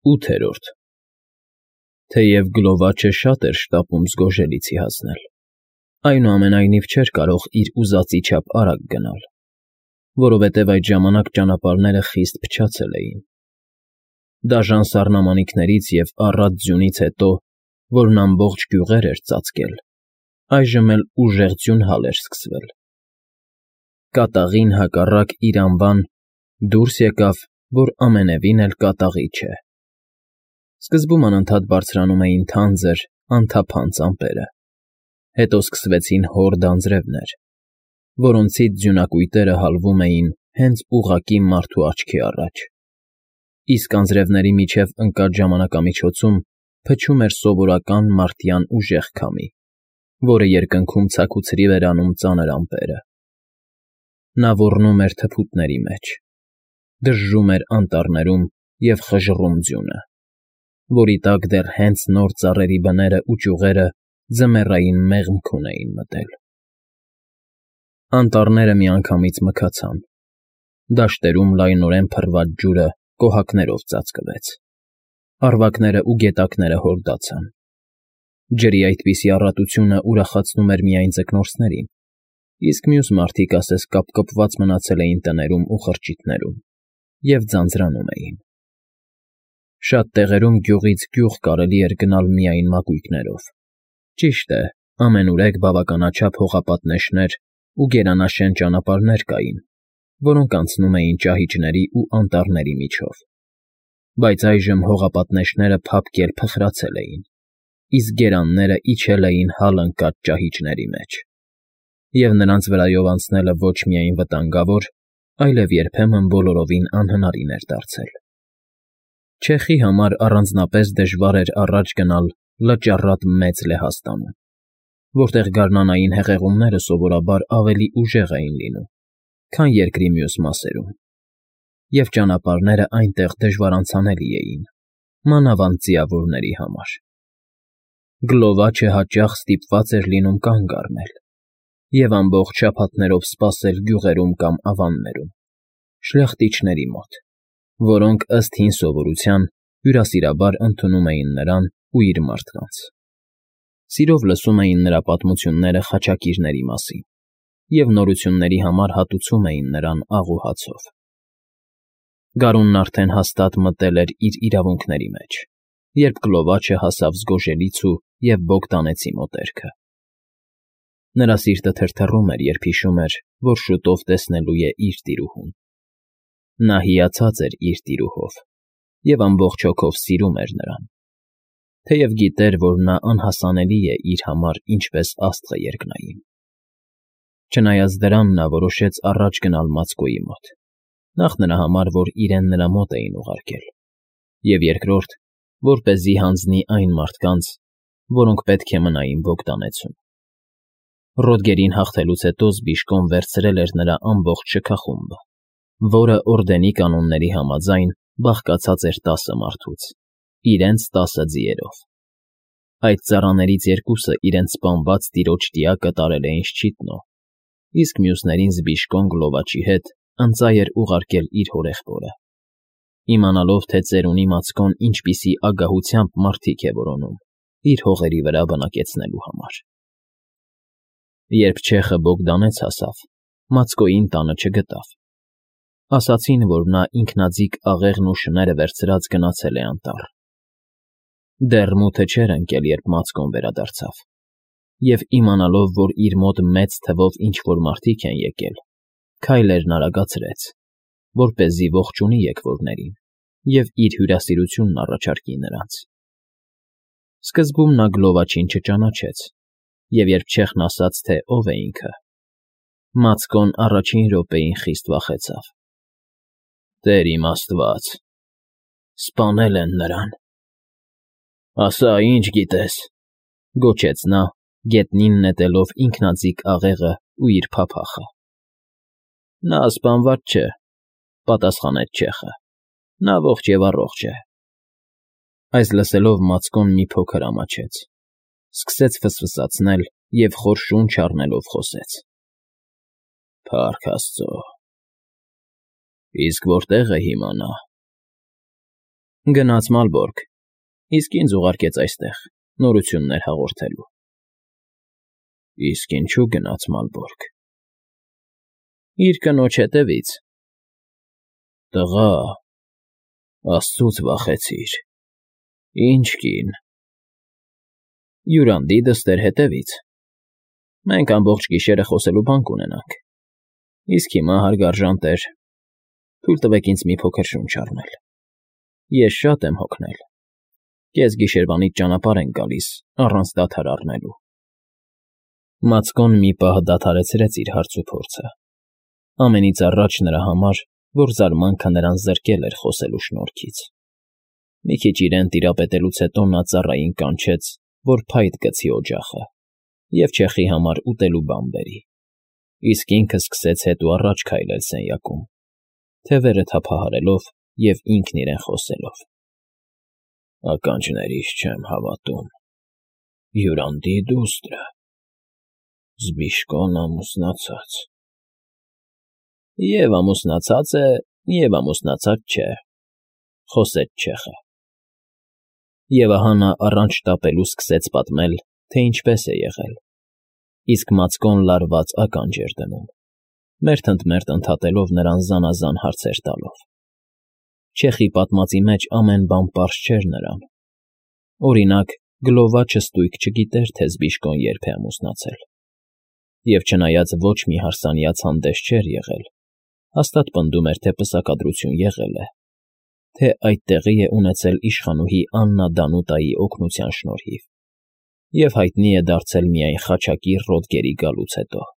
8-րդ Թեև Գլովաչը շատ էր շտապում Զգոժելիցի հասնել, այնուամենայնիվ չէր կարող իր ուզածի չափ արագ գնալ, որովհետև այդ ժամանակ ճանապարհները խիստ փչացել էին. դաժան սառնամանիքներից և առատ ձյունից հետո, որն ամբողջ գյուղեր էր ծածկել, այժմ էլ ուժեղ ձյունհալ էր սկսվել. կատաղին հակառակ իր անվան, դուրս եկավ, որ ամենևին էլ կատաղի չէ. Սկզբում անընդհատ բարձրանում էին թանձր, անթափանց ամպերը, հետո սկսվեցին հորդ անձրևներ, որոնցից ձյունակույտերը հալվում էին հենց ուղղակի մարդու աչքի առաջ, իսկ անձրևների միջև ընկած ժամանակամիջոցում փչում էր սովորական մարդյան ուժեղ քամի, որը երկնքում ցաքուցրիվ էր անում ծանր ամպերը. նա ոռնում էր թփուտների մեջ, դժժում էր անտառներում և խժռում ձյունը, որի տակ դեռ հենց նոր ծառերի բներն ու ճյուղերը ձմեռային մեղմքուն էին մտել. Անտառները միանգամից մքացան, դաշտերում լայնորեն փռված ջուրը կոհակներով ծածկվեց, առվակներն ու գետակները հորդացան. ջրի այդպիսի առատությունը ուրախացնում էր միայն ձկնորսներին, իսկ մյուս մարդիկ ասես կապկպված մնացել էին տներում ու խրճիթներում և ձանձրանում էին. Շատ տեղերում գյուղից գյուղ կարելի էր գնալ միայն մակույկներով, ճիշտ է, ամենուրեք բավականաչափ հողապատնեշներ ու գերանաշեն ճանապարհներ կային, որոնք անցնում էին ճահիճների ու անտառների միջով, բայց այժմ հողապատնեշները փափկել փխրացել էին, իսկ գերանները իջել էին հալ ընկած ճահիճների մեջ, և նրանց վրայով անցնելը ոչ միայն վտանգավոր, այլև երբեմն բոլորովին անհնարին էր դարձել. Չեխի համար առանձնապես դժվար էր առաջ գնալ լճառատ մեծ Լեհաստանում, որտեղ գարնանային հեղեղումները սովորաբար ավելի ուժեղ էին լինում, քան երկրի մյուս մասերում, և ճանապարհներն այնտեղ դժվարանցանելի էին, մանավանդ ձիավորների համար. Գլովաչը հաճախ ստիպված էր լինում կանգ առնել և ամբողջ շաբաթներով սպասել գյուղերում կամ ավաններում, շլախտիչների մոտ, որոնք ըստ հին սովորության հյուրասիրաբար ընդունում էին նրան ու իր մարդկանց. սիրով լսում էին նրա պատմությունները խաչակիրների մասին և նորությունների համար հատուցում էին նրան աղ ու հացով. Գարունն արդեն հաստատ մտել էր իր իրավունքների մեջ, երբ Գլովաչը հասավ Զգոժելիցու և Բոգդանեցի մոտերքը. նրա սիրտը թրթռում էր, երբ հիշում էր, որ շուտով տեսնելու է իր տիրուհուն. նա հիացած էր իր տիրուհով և ամբողջ հոգով սիրում էր նրան, թեև գիտեր, որ նա անհասանելի է իր համար ինչպես աստղը երկնային. Չնայած դրան նա որոշեց առաջ գնալ Մացկոյի մոտ, նախ նրա համար, որ իրեն նրա մոտ էին ուղարկել, և երկրորդ, որպեսզի հանձնի այն մարդկանց, որոնք պետք է մնային Բոգդանեցում. Ռոդգերին հաղթելուց հետո Զբիշկոն վերցրել էր նրա ամբողջ շքախումբը, որը օրդենի կանոնների համաձայն բաղկացած էր 10 մարդուց, իրենց 10 ձիերով. այդ ծառաներից երկուսը իրենց սպանված տիրոջ տիակը տարել էին Շչիտնո, իսկ մյուսներին Զբիշկոն Գլովաչի հետ ընծայ էր ուղարկել իր հորեղբորը, իմանալով, թե ծերունի Մացկոն ինչպիսի ագահությամբ մարդիկ է որոնում իր հողերի վրա բնակեցնելու համար. Երբ չեխը Բոգդանեց հասավ, Մացկոյին տանը չգտավ. ասացին, որ նա ինքնաձիգ աղեղն ու շները վերցրած գնացել է անտառ. դեռ մութը չէր ընկել, երբ Մացկոն վերադարձավ, և իմանալով, որ իր մոտ մեծ թվով ինչ-որ մարդիկ են եկել, քայլերն արագացրեց, որպեսզի ողջունի եկվորներին և իր հյուրասիրությունն առաջարկի նրանց. Սկզբում նա Գլովաչին չճանաչեց, և երբ չեխն ասաց, թե ով է ինքը, Մացկոն առաջին րոպեին խիստ վախեցավ. «Տեր իմ Աստված, սպանել են նրան»։ «Ասա, ինչ գիտես», գոչեց նա, գետնին նետելով ինքնաձիգ աղեղն ու իր փափախը։ «Նա սպանված չէ», պատասխանեց չեխը, «նա ողջ և առողջ է»։ Այս լսելով Մացկոն մի փոքր ամաչեց, սկսեց ֆսֆսացնել և խոր շունչ առնելով խոսեց. «Փառք Աստծո, իսկ որտե՞ղ է հիմա նա»։ Գնաց Մալբորգ, իսկ ինձ ուղարկեց այստեղ, նորություններ հաղորդելու։ Իսկ ինչու գնաց Մալբորգ։ Իր կնոջ հետևից։ Տղա, աստծուց վախեցիր։ Ինչ կին։ Յուրանդի դստեր հետևից։ Մենք ամբողջ գիշերը խոսելու բան կունենանք։ Իսկ հիմա, հարգարժան տեր, թույլ տվեք ինձ մի փոքր շունչ առնել։ Ես շատ եմ հոգնել։ Կեսգիշերվանից ճանապարհ ենք գալիս, առանց դադար առնելու։ Մացկոն մի պահ դադարեցրեց իր հարցուփորձը։ Ամենից առաջ նրա համար, որ զարմանքը նրան զրկել էր խոսելու շնորհքից։ Մի քիչ իրեն տիրապետելուց հետո նա ծառային կանչեց, որ փայտ գցի օջախը և չեխի համար ուտելու բան բերի, իսկ ինքը սկսեց հետ ու առաջ քայլել սենյակում, թևերը թափահարելով և ինքն իրեն խոսելով. Ականջներիս չեմ հավատում, Յուրանդի դուստրը, Զբիշկոն ամուսնացած։ Եվ ամուսնացած է, և ամուսնացած չէ, խոսեց չեխը։ Եվ ահա նա առանց շտապելու սկսեց պատմել, թե ինչպես է եղել, իսկ Մացկոն լարված ականջ էր դնում, մերթընդմերթ ընդհատելով նրան զանազան հարցեր տալով։ Չեխի պատմածի մեջ ամեն բան պարզ չէր նրան։ Օրինակ, գլովաչը ստույգ չգիտեր, թե Զբիշկոն երբ է ամուսնացել։ Եվ չնայած ոչ մի հարսանյաց հանդես չէր եղել, հաստատ պնդում էր, թե պսակադրություն եղել է, թե այդ տեղի է ունեցել իշխանուհի Աննա Դանուտայի օգնության շնորհիվ, և հայտնի է դարձել միայն խաչակի Ռոդգերի գալուց հետո,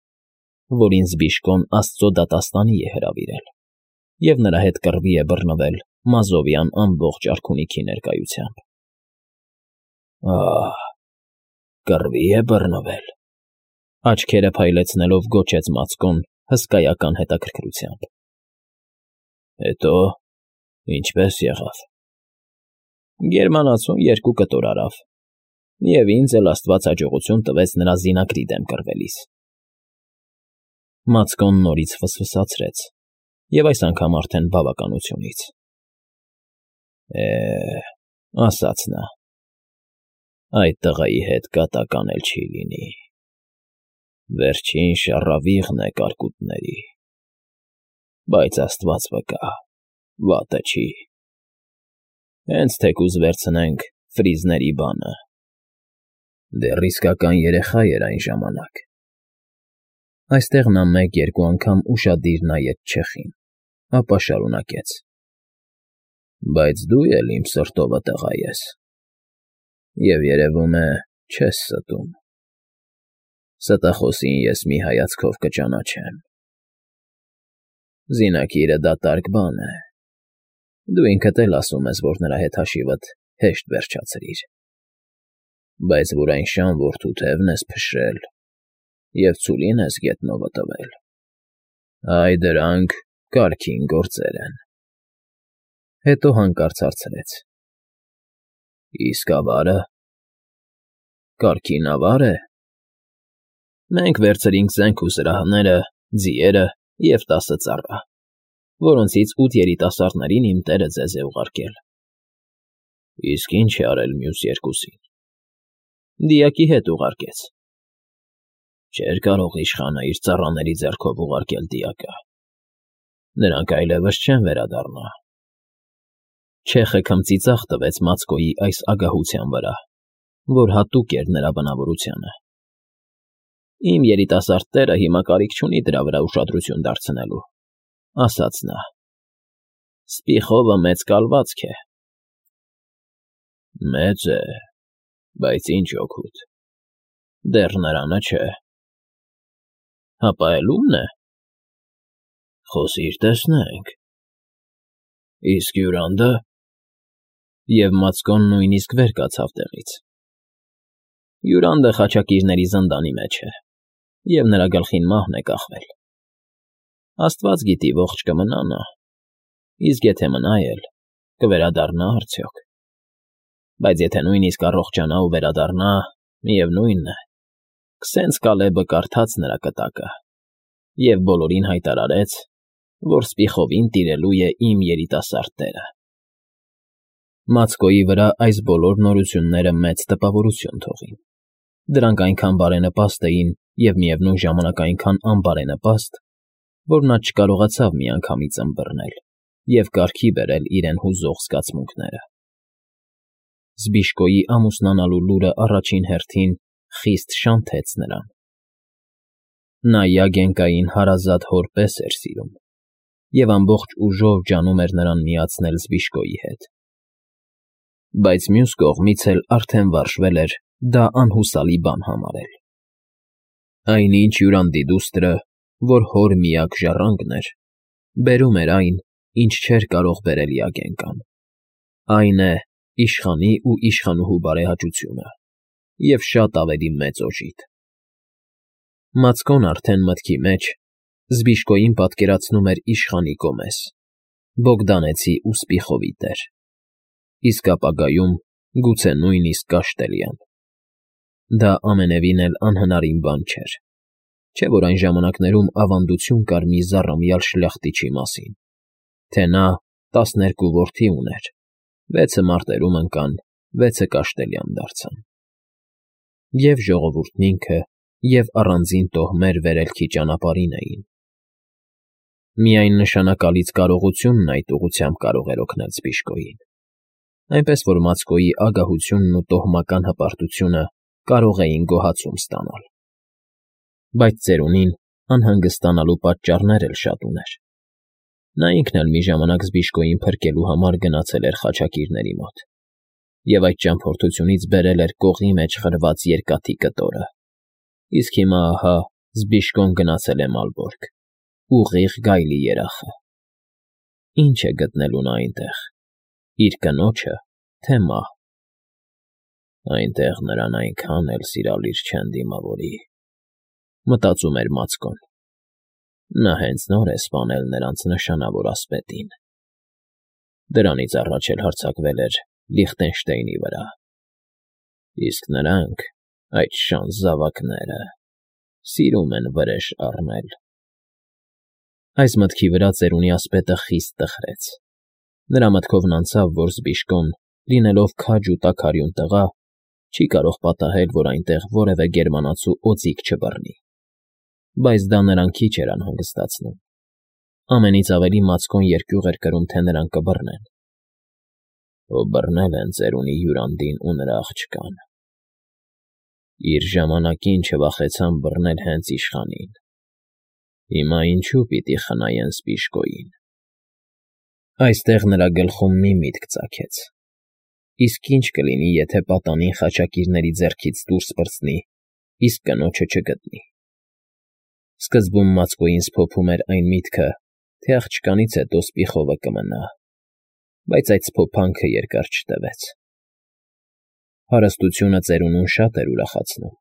որին Զբիշկոն աստծո դատաստանի է հրավիրել, և նրա հետ կռվի է բռնվել Մազովյան ամբողջ արքունիքի ներկայությամբ։ Ահ, կռվի է բռնվել, աչքերը փայլեցնելով գոչեց Մացկոն հսկայական հետաքրքրությամբ։ Հետո ինչպես եղավ։ Գերմանացուն 2 կտոր արավ, և ինձ էլ Աստված հաջողություն տվեց նրա զինակրի դեմ կռվելիս։ Մացկոն նորից ֆսֆսացրեց, և այս անգամ արդեն բավականությունից։ Ասաց նա, այդ տղայի հետ կատակ անել չի լինի։ Վերջին շառավիղն է կարկուտների, բայց Աստված վկա, վատը չի։ Հենց թեկուզ վերցնենք Ֆրիզների բանը։ Դեռ իսկական երեխա էր այն ժամանակ։ Այստեղ նա 1-2 անգամ ուշադիր նայեց չեխին, ապա շարունակեց. Բայց դու էլ իմ սրտովը տղա ես, և երևում է չես ստում։ Ստախոսին ես մի հայացքով կճանաչեմ։ Զինակիրը դատարկ բան է։ Դու ինքդ էլ ասում ես, որ նրա հետ հաշիվդ հեշտ վերջացրիր, բայց որ այն շան որդու թևն ես փշրել և ցուլին ես գետնովը տվել, այ դրանք կարգին գործեր են։ Հետո հանկարծ հարցրեց. Իսկ ավարը։ Կարգին ավար է։ Մենք վերցրինք զենք ու զրահները, ձիերը և 10 ծառա, որոնցից 8 երիտասարդներին իմ տերը ձեզ է ուղարկել։ Իսկ ինչ է արել մյուս 2-ին։ Դիակի հետ ուղարկեց։ Չէր կարող իշխանը իր ծառաների ձեռքով ուղարկել դիակը։ Նրանք այլևս չեն վերադառնա։ Չեխը քմծիծաղ տվեց Մացկոյի այս ագահության վրա, որ հատուկ էր նրա բնավորությանը։ Իմ երիտասարդ տերը հիմա կարիք չունի դրա վրա ուշադրություն դարձնելու, ասաց նա։ Սպիխովը մեծ կալվածք է։ Մեծ է, բայց ինչ օգուտ։ Դեռ նրանը չէ։ Հապա էլ ումն է։ Խոսիր տեսնենք։ Իսկ Յուրանդը։ Եվ Մացկոն նույնիսկ վեր կացավ տեղից։ Յուրանդը խաչակիրների զնդանի մեջ է, և նրա գլխին մահն է կախվել։ Աստված գիտի ողջ կմնա նա, իսկ եթե մնա էլ, կվերադառնա արդյոք։ Բայց եթե նույնիսկ առողջանա ու վերադառնա, միևնույնն է, քսենց Կալեբը կարդաց նրա կտակը և բոլորին հայտարարեց, որ Սպիխովին տիրելու է իմ երիտասարդ տերը։ Մացկոյի վրա այս բոլոր նորությունները մեծ տպավորություն թողին։ Դրանք այնքան բարենպաստ էին և միևնույն ժամանակ այնքան անբարենպաստ, որ նա չկարողացավ միանգամից ըմբռնել և կարգի բերել իրեն հուզող զգացմունքները։ Զբիշկոյի ամուսնանալու լուրը առաջին հերթին խիստ շանթեց նրան։ Նա Յագենկային հարազատ հոր պես էր սիրում և ամբողջ ուժով ջանում էր նրան միացնել Զբիշկոյի հետ։ Բայց մյուս կողմից էլ արդեն վարժվել էր դա անհուսալի բան համարել։ Այնինչ յուրանդի դուստրը, որ հոր միակ ժառանգն էր, բերում էր այն, ինչ չէր կարող բերել Յագենկան, այն է իշխանի ու իշխանուհու բարեհաճությունը և շատ ավելի մեծ օժիտ։ Մացկոն արդեն մտքի մեջ Զբիշկոյին պատկերացնում էր իշխանի կոմես, բոգդանեցի ու սպիխովի տեր, իսկ ապագայում գուցե նույնիսկ կաշտելյան։ Դա ամենևին էլ անհնարին բան չէր, չէ՞ որ այն ժամանակներում ավանդություն կար մի զառամյալ շլյախտիչի մասին, թե նա 12 որդի ուներ, 6-ը մարտերում ընկան, 6-ը կաշտելյան դարձան։ Եվ ժողովուրդն ինքը, և առանձին տոհմեր վերելքի ճանապարհին էին։ Միայն նշանակալից կարողությունն այդ ուղղությամբ կարող էր օգնել Զբիշկոյին, այնպես որ Մացկոյի ագահությունն ու տոհմական հպարտությունը կարող էին գոհացում ստանալ։ Բայց ծերունին անհանգստանալու պատճառներ էլ շատ ուներ։ Նա ինքն էլ մի ժամանակ Զբիշկոյին փրկելու համար գնացել էր խաչակիրների մոտ, և այդ ճամփորդությունից բերել էր կողի մեջ խրված երկաթի կտորը, իսկ հիմա ահա Զբիշկոն գնացել է Մալբորգ, ուղիղ գայլի երախը։ Ինչ է գտնելու նա այնտեղ՝ իր կնոջը, թե մահ։ Այնտեղ նրան այնքան էլ սիրալիր չեն դիմավորի, մտածում էր Մացկոն։ Նա հենց նոր է սպանել նրանց նշանավոր ասպետին։ Դրանից առաջ էլ հարձակվել էր Լիխտենշտեյնի վրա, իսկ նրանք, այդ շան զավակները, սիրում են վրեժ առնել։ Այս մտքի վրա ծերունի ասպետը խիստ տխրեց։ Նրա մտքովն անցավ, որ Զբիշկոն, լինելով քաջ ու տաքարյուն տղա, չի կարող պատահել, որ այնտեղ որևէ գերմանացու օձիք չբռնի։ Բայց դա նրան քիչ էր անհանգստացնում։ Ամենից ավելի Մացկոն երկյուղ էր կրում, թե նրան կբռնեն։ Ո բռնել են ծերունի հյուրանդին ու նրա աղջկան։ Իր ժամանակին չվախեցան բռնել հենց իշխանին։ Հիմա ինչու պիտի խնայեն Զբիշկոյին։ Այստեղ նրա գլխում մի միտք ծագեց. իսկ ինչ կլինի, եթե պատանին խաչակիրների ձեռքից դուրս պրծնի, իսկ կնոջը չգտնի։ Սկզբում Մացկոյին սփոփում էր այն միտքը, թե աղջկանից հետո Սպիխովը կմնա, բայց այդ սփոփանքը երկար չտևեց։ Հարստությունը ծերունուն շատ էր ուրախացնում,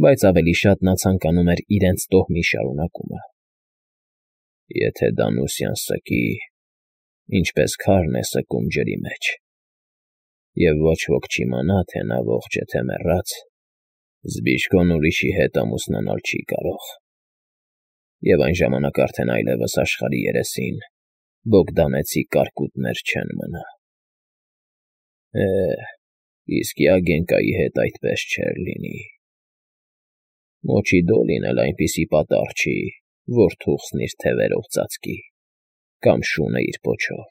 բայց ավելի շատ նա ցանկանում էր իրենց տոհմի շարունակումը։ Եթե Դանուսյան սկի, ինչպես քարն է սկում ջրի մեջ, և ոչ ոք չիմանա, թե նա ողջ է, թե մեռած, Զբիշկոն ուրիշի հետ ամուսնանալ չի կարող, և այն ժամանակ արդեն այլևս աշխարհի երեսին բոգդանեցի կարկուտներ չեն մնա։ Իսկ Յագենկայի հետ այդպես չէր լինի։ Մոչի Դոլին էլ այնպիսի պատառ չի, որ թուղթն իր թևերով ծածկի կամ շունը իր պոչով,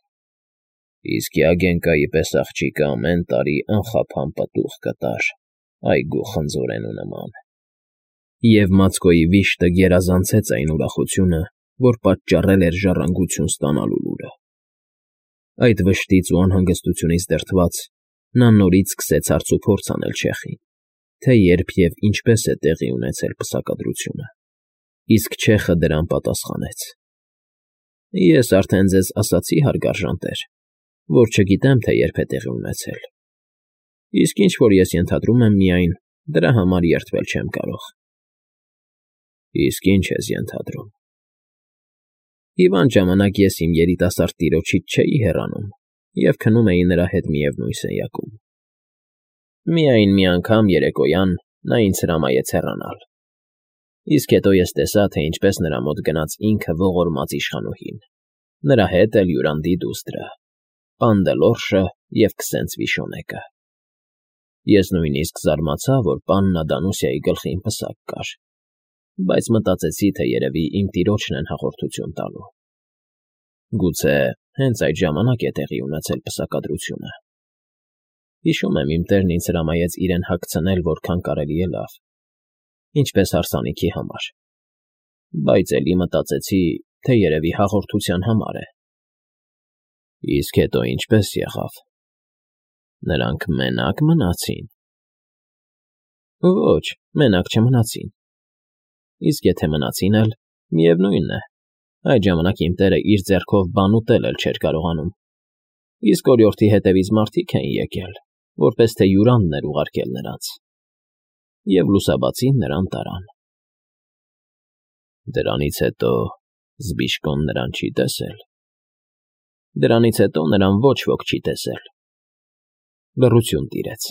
իսկ Յագենկայի պես աղջիկը ամեն տարի անխափան պտուղ կտար այգու խնձորենու նման։ Եվ Մացկոյի վիշտը գերազանցեց այն ուրախությունը, որ պատճառել էր ժառանգություն ստանալու լուրը։ Այդ վշտից ու անհանգստությունից դրդված, նա նորից սկսեց հարցուփորձ անել չեխին, թե երբ և ինչպես է տեղի ունեցել պսակադրությունը, իսկ չեխը դրան պատասխանեց. Ես արդեն ձեզ ասացի, հարգարժան տեր, որ չգիտեմ, թե երբ է տեղի ունեցել, իսկ ինչ որ ես ենթադրում եմ միայն, դրա համար երդվել չեմ կարող։ Իսկ ինչ ես ենթադրում։ Հիվանդ ժամանակ ես իմ երիտասարդ տիրոջից չէի հեռանում և քնում էի նրա հետ միևնույն սենյակում։ Միայն մի անգամ երեկոյան նա ինձ հրամայեց հեռանալ, իսկ հետո ես տեսա, թե ինչպես նրա մոտ գնաց ինքը ողորմած իշխանուհին, նրա հետ էլ յուրանդի դուստրը, պան Դելորշը և քսենց վիշոնեկը։ Ես նույնիսկ զարմացա, որ պաննա Դանուսիայի գլխին պսակ կար, բայց մտածեցի, թե երևի իմ տիրոջն են հաղորդություն տալու։ Գուցե հենց այդ ժամանակ է տեղի ունեցել պսակադրությունը։ Հիշում եմ, իմ տերն ինձ հրամայեց իրեն հագցնել որքան կարելի է լավ, ինչպես հարսանիքի համար, բայց էլի մտածեցի, թե երևի հաղորդության համար է։ Իսկ հետո ինչպե՞ս եղավ։ Նրանք մենակ մնացին։ Ոչ, մենակ չմնացին։ Իսկ եթե մնացին էլ, միևնույն է, այդ ժամանակ իմ տերը իր ձեռքով բան ուտել էլ չէր կարողանում, իսկ օրիորդի հետևից մարդիկ էին եկել, որպես թե հյուրանն էր ուղարկել նրանց, և լուսաբացին նրան տարան։ Դրանից հետո Զբիշկոն նրան չի տեսել։ Դրանից հետո նրան ոչ ոք չի տեսել։ Լռություն տիրեց։